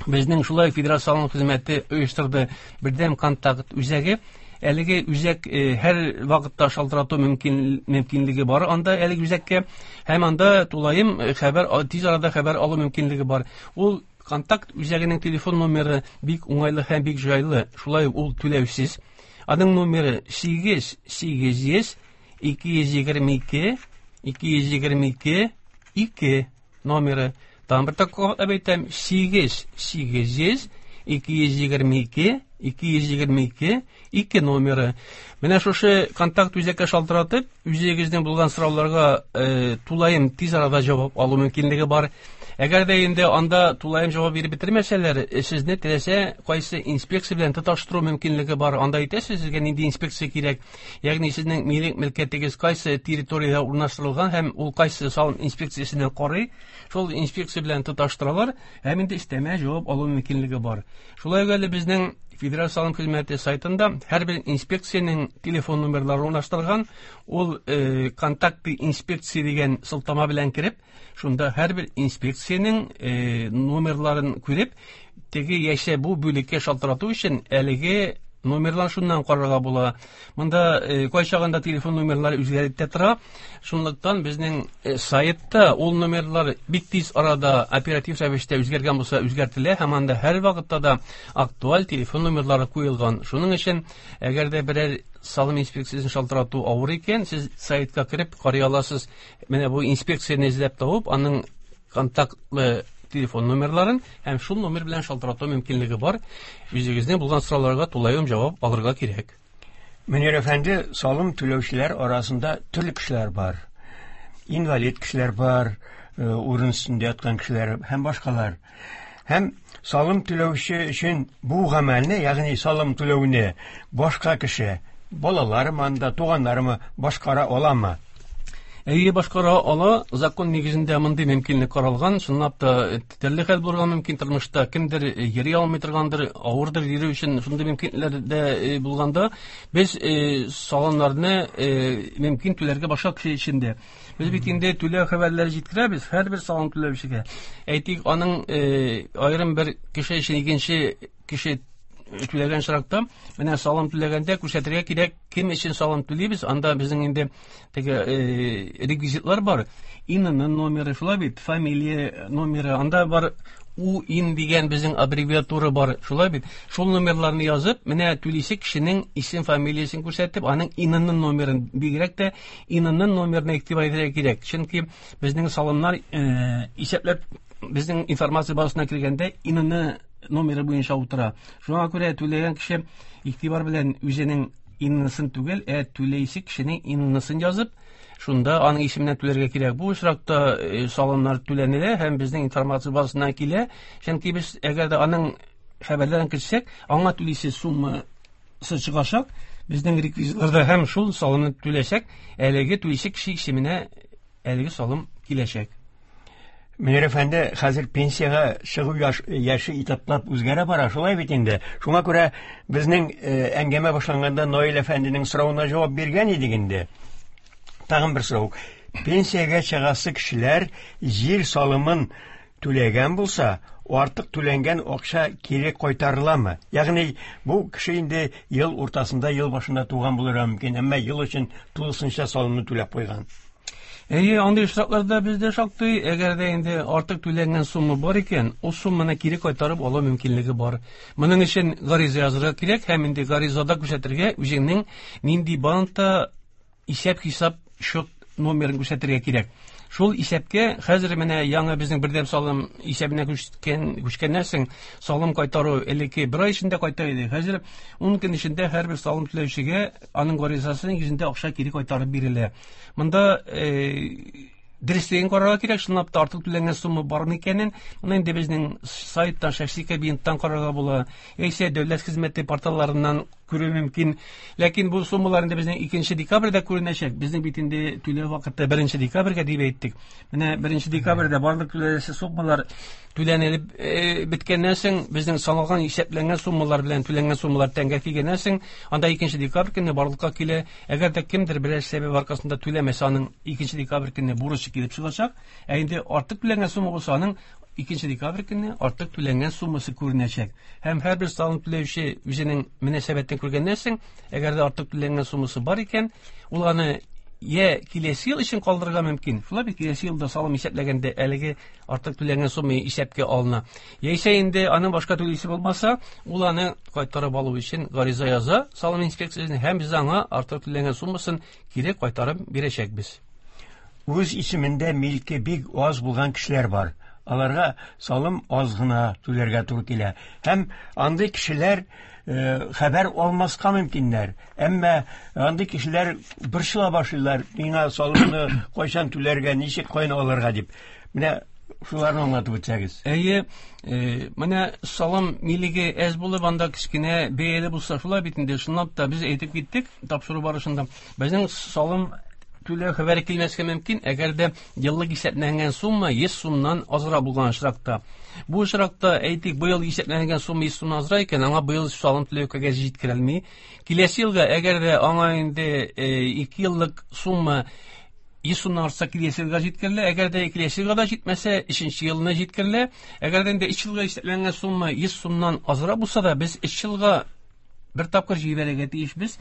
безнең шулай Федераль салым хезмәте оештырды бердәм контакт үзәге. Әлеге үзәк һәр вакытта шалтырату мөмкин, мөмкинлеге бар анда әлеге үзәккә һәм анда тулаем хәбәр, тиз арада хәбәр алу мөмкинлеге бар. Ул контакт үзәгенең телефон номеры бик уңайлы һәм бик җайлы. Шулай ул түләүсез. Аның номеры сигез сигез йөз ике йөз егерме ике ике йөз егерме ике ике номеры. Там бер тапкыр әйтәм, сигез сигез йөз ике йөз егерме ике ике йөз егерме ике ике номеры. Менә шушы контакт үзәккә шалтыратып, үзегезнең булган сорауларга э, тулаем тиз арада җавап алу мөмкинлеге бар. Әгәр дә инде анда тулаем җавап биреп бетермәсәләр, сезне теләсә кайсы инспекция белән тоташтыру мөмкинлеге бар. Анда әйтәсез, сезгә нинди инспекция кирәк, ягъни сезнең милек мөлкәтегез кайсы территориядә урнаштырылган һәм ул кайсы салым инспекциясенә карый, шул инспекция белән тоташтыралар һәм инде өстәмә җавап алу мөмкинлеге бар. Шулай ук әле безнең Федераль салым хезмәте сайтында һәрбер инспекциянең телефон номерлары урнаштырылган. Ул э, контакты инспекция дигән сылтама белән кереп, шунда һәрбер инспекциянең э, номерларын күреп, теге яисә бу бүлеккә шалтырату өчен әлеге номерлар шуннан карарга була. Монда э, кайчагында телефон номерлары үзгәреп тә тора. Шунлыктан безнең э, сайтта ул номерлар бик тиз арада оператив рәвештә үзгәргән булса үзгәртелә һәм анда һәр вакытта да актуаль телефон номерлары куелган. Шуның өчен әгәр дә берәр салым инспекциясен шалтырату авыр икән, сез сайтка кереп карый аласыз. Менә бу инспекцияне эзләп табып, аның контактлы телефон номерларын һәм шул номер белән шалтырату мөмкинлеге бар. Үзегезнең булган сорауларга тулаем җавап алырга кирәк. Мөнир әфәнде, салым түләүчеләр арасында төрле кешеләр бар. Инвалид кешеләр бар, э, урын өстендә яткан кешеләр һәм башкалар. Һәм салым түләүче өчен бу гамәлне, ягъни салым түләүне башка кеше, балаларымы анда, туганнарымы башкара аламы? Әйе, башкара ала. Закон нигезендә мондый мөмкинлек каралган. Чынлап та төрле хәл булырга мөмкин тормышта. Кемдер йөри алмый торгандыр, авырдыр йөрү өчен шундый мөмкинлекләр дә э, булганда, без э, салымнарны э, мөмкин түләргә башка кеше өчен дә. Без бит инде түләү хәбәрләре җиткерәбез һәрбер салым түләүчегә. Әйтик, аның аерым бер кеше өчен икенче кеше түләгән очракта, менә салым түләгәндә күрсәтергә кирәк, кем өчен салым түлибез, анда безнең инде теге э, реквизитлар бар. ИНН номеры, шулай бит, фамилия номеры, анда бар УИН дигән безнең аббревиатура бар, шулай бит. Шул номерларны язып, менә түлисе кешенең исем, фамилиясен күрсәтеп, аның ИНН номерын, бигрәк тә ИНН номерына игътибар итәргә кирәк. Чөнки безнең салымнар э, исәпләп безнең информация базасына кергәндә ИНН номеры буенча утыра. Шуңа күрә түләгән кеше игътибар белән үзенең ИНН-сын түгел, ә түләйсе кешенең ИНН-сын язып, шунда аның исеменнән түләргә кирәк. Бу очракта салымнар түләнелә һәм безнең информация базасына килә. Чөнки без әгәр дә аның хәбәрләрен кертсәк, аңа түлисе суммасы чыгачак, безнең реквизитларда һәм шул салымны түләсәк, әлеге түлисе кеше исеменә әлеге салым киләчәк. Мөнир әфәнде, хәзер пенсиягә чыгу яш, яше этаплап үзгәрә бара, шулай бит инде. Шуңа күрә безнең э, әңгәмә башланганда Наил әфәнденең соравына җавап биргән идек инде. Тагын бер сорау. Пенсиягә чыгасы кешеләр җир салымын түләгән булса, артык түләнгән акча кире кайтарыламы? Ягъни бу кеше инде ел уртасында, ел башында туган булырга мөмкин, әмма ел өчен тулысынча салымны түләп куйган. Әйе, андый очракларда бездә шактый, әгәр дә инде артык түләнгән сумма бар икән, ул сумманы кире кайтарып алу мөмкинлеге бар. Моның өчен гариза язырга кирәк һәм инде гаризада күрсәтергә үзеңнең нинди банкта исәп-хисап счет номерын күрсәтергә кирәк. Шул исәпкә хәзер менә яңа безнең бердәм салым исәбенә күчкән, күчкәннән соң салым кайтару элекке бер ай эчендә кайта иде. Хәзер ун көн эчендә һәрбер салым түләүчегә аның гаризасы нигезендә акча кире кайтарып бирелә. Монда э, дөреслеген карарга кирәк, чынлап та артык түләнгән сумма бармы икәнен. Моны инде безнең сайттан, шәхси кабинеттан карарга була, яисә дәүләт хезмәте порталларыннан күрү мөмкин. Ләкин бу суммалар инде безнең икенче декабрьдә күренәчәк. Безнең бит инде түләү вакыты беренче декабрьгә дип әйттек. Менә беренче декабрьдә барлык түләнәсе суммалар түләнелеп э, беткәннән соң, безнең саналган, исәпләнгән суммалар белән түләнгән суммалар тәңгә килгәннән соң, анда икенче декабрь көнне барлыкка килә. Әгәр дә кемдер берәр сәбәп аркасында түләмәсә, аның икенче декабрь көнне бурычы килеп чыгачак. Ә инде артык түләнгән сумма булса, аның икенче декабрь көнне артык түләнгән суммасы күренәчәк. Һәм һәрбер салым түләүче үзенең мөнәсәбәтен күргәннән соң, әгәр дә артык түләнгән суммасы бар икән, ул аны я киләсе ел өчен калдырырга мөмкин. Шулай бит, киләсе елда салым исәпләгәндә әлеге артык түләнгән сумма исәпкә алына. Яисә инде аның башка түлисе булмаса, ул аны кайтарып алу өчен гариза яза салым инспекциясенә һәм без аңа артык түләнгән суммасын кире кайтарып бирәчәкбез. Үз исемендә милке бик аз булган кешеләр бар. Аларга салым аз гына түләргә туры килә. Һәм андый кешеләр э, хәбәр алмаска мөмкиннәр. Әмма андый кешеләр борчыла башлыйлар. Миңа салымны кайчан түләргә, ничек кайны алырга дип. Менә шуларны аңлатып үтсәгез. Әйе, э, менә салым милеге әз булып, анда кечкенә бәяле булса, шулай бит инде. Чынлап та без әйтеп киттек тапшыру барышында. Безнең салым түләү хәбәре килмәскә мөмкин, әгәр дә еллык исәпләнгән сумма йөз сумнан азрак булган очракта. Бу очракта, әйтик, быел исәпләнгән сумма йөз сумнан азрак икән, аңа быел салым түләү кәгазе җиткерелми. Киләсе елга, әгәр дә аңа инде ике еллык сумма йөз сумнан артса, киләсе елга җиткерелә. Әгәр дә киләсе елга да җитмәсә, өченче елына җиткерелә. Әгәр дә инде өч елга исәпләнгән сумма йөз сумнан азрак булса да, без өч елга бер тапкыр җибәрергә тиешбез.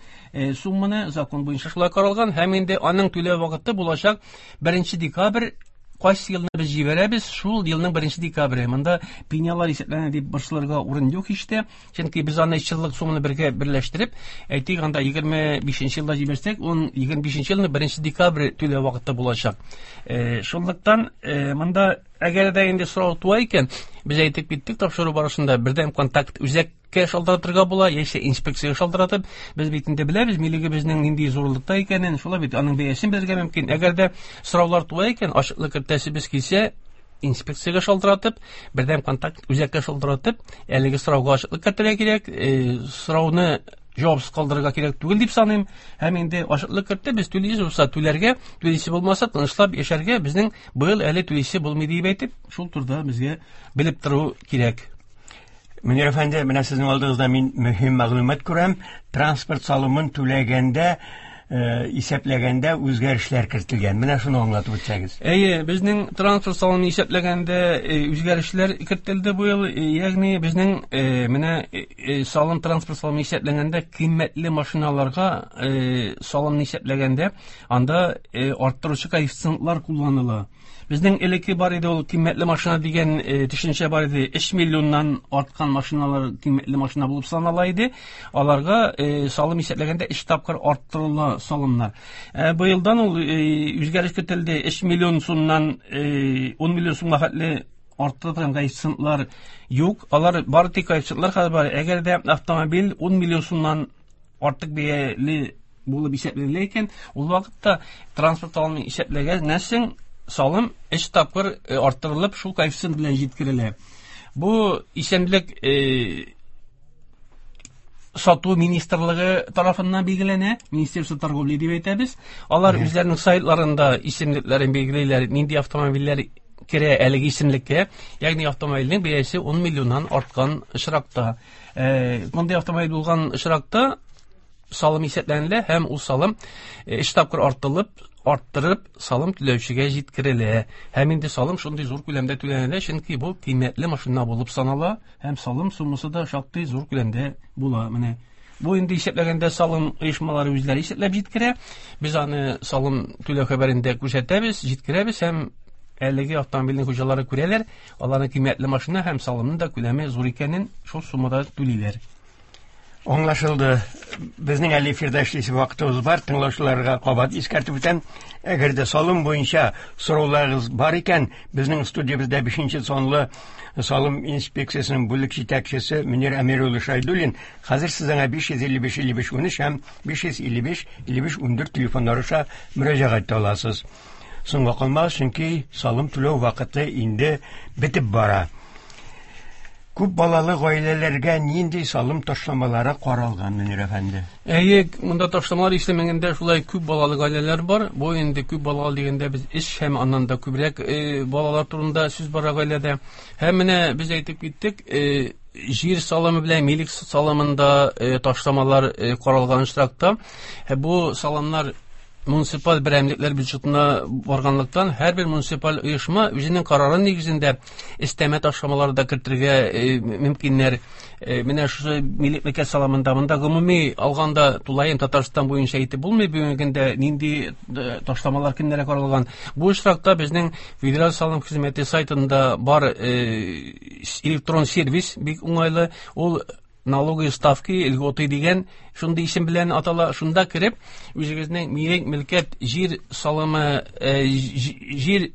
Сумманы закон буенча шулай каралган, һәм инде аның түләү вакыты булачак беренче декабрь. Кайсы елны без җибәрәбез, шул елның беренче декабре. Монда пенялар исәпләнә дип борчылырга урын юк һич тә, чөнки без аны өч еллык сумманы бергә берләштереп, әйтик, анда егерме бишенче елда җибәрсәк, ун егерме бишенче елның беренче декабре түләү вакыты булачак. Шунлыктан монда әгәр дә инде сорау туа икән, без әйтеп киттек тапшыру барышында бердәм контакт үзәккә шалтыратырга була, яисә инспекциягә шалтыратып, без бит инде беләбез милегебезнең нинди зурлыкта икәнен, шулай бит аның бәясен белергә мөмкин. Әгәр дә сораулар туа икән, ачыклык кертәсебез килсә, инспекциягә шалтыратып, бердәм контакт үзәккә шалтыратып, әлеге сорауга ачыклык кертергә кирәк, сорауны җавапсыз калдырырга кирәк түгел дип саныйм. Һәм инде ачыклык кертте, без түлисе булса түләргә, түлисе булмаса тынычлап яшәргә, безнең быел әле түлисе булмый дип әйтеп, шул турыда безгә белеп тору кирәк. Мөнир әфәнде, менә сезнең алдыгызда мин мөһим мәгълүмат күрәм. Транспорт салымын түләгәндә, исәпләгәндә үзгәрешләр кертелгән. Менә шуны аңлатып үтсәгез. Әйе, безнең транспорт салымын исәпләгәндә үзгәрешләр кертелде бу ел. Ягъни безнең менә салым, транспорт салымы исәпләгәндә кыйммәтле машиналарга салымны исәпләгәндә анда арттыручы коэффициентлар кулланыла. Безнең элекке бар иде ул кыйммәтле машина дигән төшенчә бар иде. Өч миллионнан арткан машиналар кыйммәтле машина булып санала иде. Аларга салым исәпләгәндә өч тапкыр арттырыла салымнар. Быелдан ул үзгәреш кертелде. Өч миллион сумнан ун миллион сумга хәтле арттырылган коэффициентлар юк. Алар бары тик коэффициентлар хәзер бар. Әгәр дә автомобиль ун миллион сумнан артык бәяле булып исәпләнелә икән, ул вакытта транспорт салымын исәпләгәннән соң салым өч тапкыр арттырылып шул коэффициент белән җиткерелә. Бу исемлек сату министрлыгы тарафыннан билгеләнә, Министерство торговли дип әйтәбез. Алар үзләренең сайтларында исемлекләрен билгелиләр, нинди автомобильләр керә әлеге исемлеккә, ягъни автомобильнең бәясе ун миллионнан арткан очракта. Мондый автомобиль булган очракта салым исәпләнелә һәм ул салым өч тапкыр артылып, арттырып салым түләүчегә җиткерелә. Һәм инде салым шундый зур күләмдә түләнелә, чөнки бу кыйммәтле машина булып санала һәм салым суммасы да шактый зур күләмдә була. Менә бу инде исәпләгәндә салым оешмалары үзләре исәпләп җиткерә. Без аны салым түләү хәбәрендә күрсәтәбез, җиткерәбез һәм әлеге автомобильнең хуҗалары күрәләр, аларның кыйммәтле машина һәм салымның да күләме зур икәнен шул суммада түлиләр. Аңлашылды. Безнең әле эфирда эшлисе вакытыбыз бар. Тыңлаучыларга кабат искәртеп үтәм. Әгәр дә салым буенча сорауларыгыз бар икән, безнең студиябездә бишенче санлы салым инспекциясенең бүлек җитәкчесе Мөнир Әмир улы Шайдуллин хәзер сезгә биш йөз илле биш илле биш унөч һәм биш йөз илле биш илле биш ундүрт телефоннары аша мөрәҗәгать итә аласыз. Соңга калмагыз, чөнки салым түләү вакыты инде бетеп бара. Күп балалы гаиләләргә нинди салым ташламалары каралган, Мөнир әфәнде? Әйе, монда ташламалар исемлегендә шулай күп балалы гаиләләр бар. Бу инде күп балалы дигәндә без өч һәм аннан да күбрәк балалар турында сүз бара гаиләдә. Һәм менә без әйтеп киттек, җир салымы белән милек салымында ташламалар каралган очракта, бу салымнар муниципаль берәмлекләр бюджетына барганлыктан һәрбер муниципаль оешма үзенең карары нигезендә өстәмә ташламалар да кертергә мөмкиннәр. Менә шушы милек мөлкәт салымында монда гомуми алганда тулаем Татарстан буенча әйтеп булмый бүгенге көндә нинди ташламалар кемнәргә каралган. Бу очракта безнең Федераль салым хезмәте сайтында бар электрон сервис бик уңайлы. Ул налоговые ставки, льготы дигән шундый исем белән атала. Шунда кереп, үзегезнең милек, мөлкәт, җир салымы, җир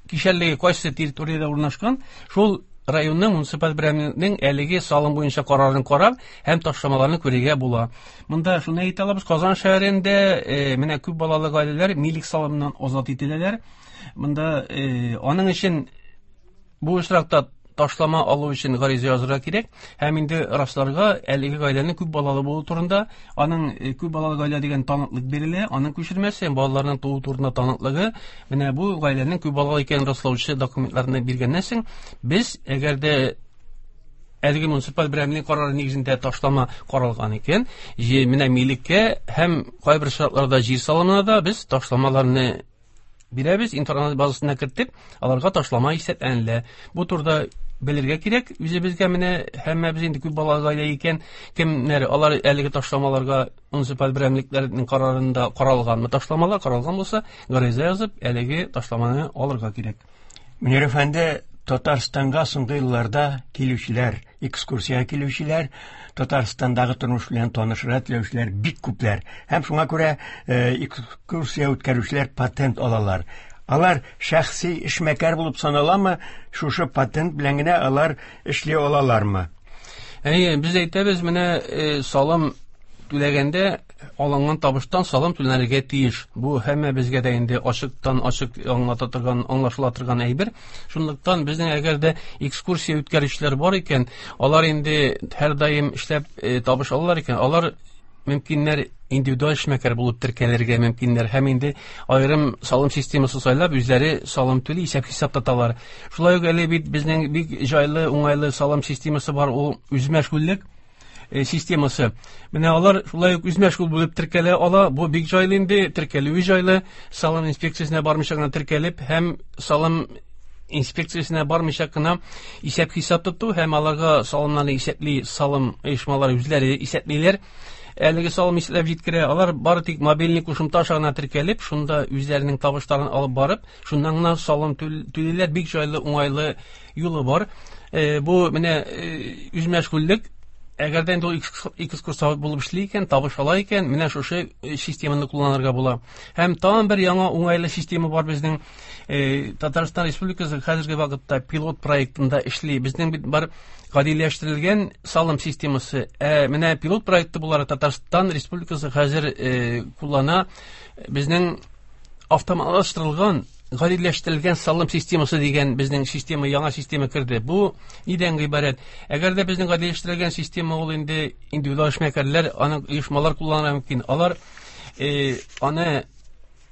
кишәрлеге кайсы территориядә урнашкан, шул районның муниципаль берәмлекнең әлеге салым буенча карарын карап һәм ташламаларны күрергә була. Монда шуны әйтә алабыз, Казан шәһәрендә менә күп балалы гаиләләр милек салымыннан азат ителәләр. Монда аның өчен бу очракта ташлама алу өчен гариза язырга кирәк һәм инде расларга әлеге гаиләнең күп балалы булуы турында, аның күп балалы гаилә дигән таныклык бирелә, аның күчермәсе, балаларның туу турында таныклыгы, менә бу гаиләнең күп балалы икәнен раслаучы документларны биргәннән соң, без әгәр дә әлеге муниципаль берәмлек карары нигезендә ташлама каралган икән, менә милеккә һәм кайбер шартларда җир салымына да без ташламаларны бирәбез, интернет базасына кертеп, аларга ташлама исәпләнелә. Бу турыда белергә кирәк үзебезгә, менә һәммәбез инде күп балалы гаилә икән, кемнәр алар әлеге ташламаларга муниципаль берәмлекләрнең карарында каралганмы ташламалар каралган булса, гариза язып, әлеге ташламаны алырга кирәк. Мөнир әфәнде, Татарстанга соңгы елларда килүчеләр, экскурсия килүчеләр, Татарстандагы тормыш белән танышырга теләүчеләр бик күпләр. Һәм шуңа күрә экскурсия үткәрүчеләр патент алалар. Алар шәхси эшмәкәр булып саналамы? Шушы патент белән генә алар эшли алалармы? Әйе, без әйтәбез, менә салым түләгәндә алынган табыштан салым түләнергә тиеш. Бу һәммәбезгә дә инде ачыктан ачык аңлата торган, аңлашыла торган әйбер. Шунлыктан безнең әгәр дә экскурсия үткәрүчеләр бар икән, алар инде һәрдаим эшләп табыш алалар икән, алар мөмкиннәр индивидуаль эшмәкәр булып теркәлергә мөмкиннәр һәм инде аерым салым системасы сайлап үзләре салым түли, исәп-хисап тоталар. Шулай ук әле бит безнең бик җайлы, уңайлы салым системасы бар, ул үзмәшгульлек системасы. Менә алар шулай ук үзмәшгуль булып теркәлә ала. Бу бик җайлы инде, теркәлүе җайлы. Салым инспекциясенә бармыйча гына теркәлеп һәм салым инспекциясенә бармыйча гына исәп-хисап тоту һәм аларга салымнарны исәпли салым оешмалары үзләре исәплиләр. Әлеге салым исәпләп җиткерә. Алар бары тик мобильный кушымта аша гына теркәлеп, шунда үзләренең табышларын алып барып, шуннан гына салым түлиләр. Бик җайлы, уңайлы юлы бар. Бу менә үзмәшгульлек. Әгәр дә инде ул экскурсовод булып эшли икән, табыш ала икән, менә шушы системаны кулланырга була. Һәм тагын бер яңа уңайлы система бар безнең. Татарстан Республикасы хәзерге вакытта пилот проектында эшли. Безнең бит бар гадиләштерелгән салым системасы. Ә менә пилот проекты буларак Татарстан Республикасы хәзер куллана безнең автоматлаштырылган гадиләштерелгән салым системасы дигән безнең система, яңа система керде. Бу нидән гыйбарәт? Әгәр дә безнең гадиләштерелгән система ул инде индивидуаль эшмәкәрләр, аны оешмалар кулланырга мөмкин. Алар э, аны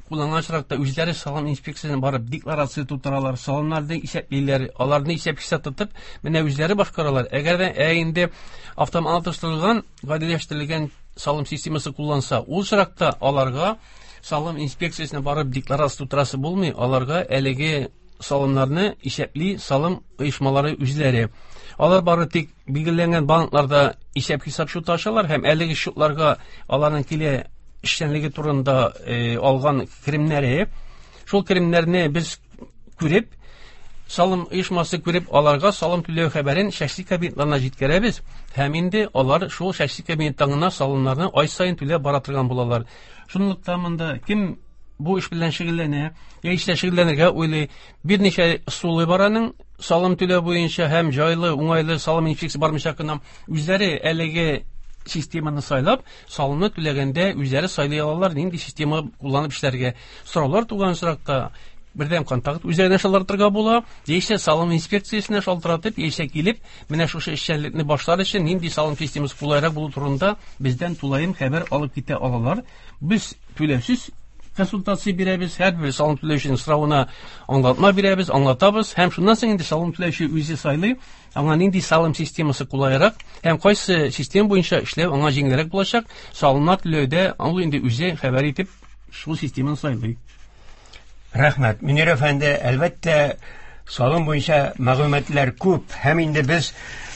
кулланган очракта үзләре салым инспекциясенә барып декларация тутыралар, салымнарны исәплиләр, аларны исәп-хисап тотып, менә үзләре башкаралар. Әгәр дә ә инде автоматлаштырылган гадиләштерелгән салым системасы кулланса, ул очракта аларга салым инспекциясенә барып декларация тутырасы булмый, аларга әлеге салымнарны исәпли салым оешмалары үзләре. Алар бары тик билгеләнгән банкларда исәп-хисап счеты ачалар һәм әлеге счетларга аларның килә эшчәнлеге турында э, алган керемнәре, шул керемнәрне без күреп, салым оешмасы күреп, аларга салым түләү хәбәрен шәхси кабинетларына җиткерәбез һәм инде алар шул шәхси кабинеттан гына салымнарны ай саен түләп бара торган булалар. Шунлыктан монда кем бу эш белән шөгыльләнә, яисә шөгыльләнергә уйлый, берничә ысулы бар аның салым түләү буенча һәм җайлы, уңайлы салым инспекциясе бармыйча гына үзләре әлеге системаны сайлап, салымны түләгәндә үзләре сайлый алалар нинди система кулланып эшләргә. Сораулар туган очракта бердәм контакт үзләренә шалтыратырга була, яисә салым инспекциясенә шалтыратып, яисә килеп, менә шушы эшчәнлекне башлар өчен нинди салым системасы кулайрак булу турында бездән тулаем хәбәр алып китә алалар. Без түләүсез консультация бирәбез, һәрбер салым түләүченең соравына аңлатма бирәбез, аңлатабыз һәм шуннан соң инде салым түләүче үзе сайлый, аңа нинди салым системасы кулайрак һәм кайсы система буенча эшләү аңа җиңелрәк булачак. Салымнар түләүдә ул инде үзе хәбәр итеп шул системаны сайлый. Рәхмәт. Мөнир әфәнде, әлбәттә, салым буенча мәгълүматлар күп һәм инде без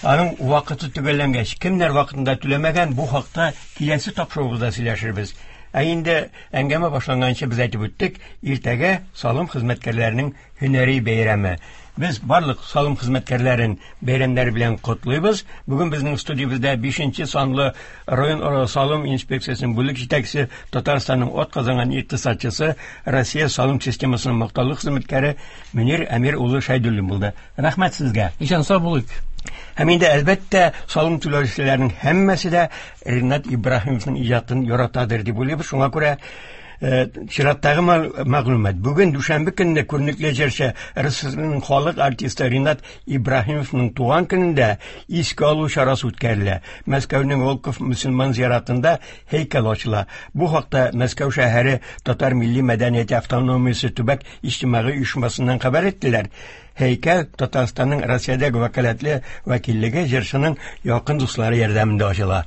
аның вакыты төгәлләнгәч, кемнәр вакытында түләмәгән, бу хакта киләсе тапшыруыбызда сөйләшербез. Ә инде әңгәмә башланганчы без әйтеп үттек, иртәгә салым хезмәткәрләренең һөнәри бәйрәме. Без барлык салым хезмәткәрләрен бәйрәмнәре белән котлыйбыз. Бүген безнең студиябездә бишенче санлы район салым инспекциясенең бүлек җитәкчесе, Татарстанның атказанган икътисадчысы, Россия салым системасының мактаулы хезмәткәре Мөнир Әмир улы Шәйдуллин булды. Рәхмәт сезгә. Исән сау булыйк. Һәм инде әлбәттә салым түләүчеләрнең һәммәсе дә Ринат Ибраһимовның иҗатын яратадыр дип уйлыйбыз. Шуңа күрә Чираттагы мәгълүмат. Бүген дүшәмбе көнне күренекле җырчы РСФСРның халык артисты Ринат Ибраһимовның туган көнендә искә алу чарасы үткәрелә. Мәскәүнең Волков мөселман зиратында һәйкәл ачыла. Бу хакта Мәскәү шәһәре Татар милли мәдәнияте автономиясе төбәк иҗтимагый оешмасыннан хәбәр иттеләр. Һәйкәл Татарстанның Россиядәге вәкаләтле вәкиллеге җырчының якын дуслары ярдәмендә ачыла.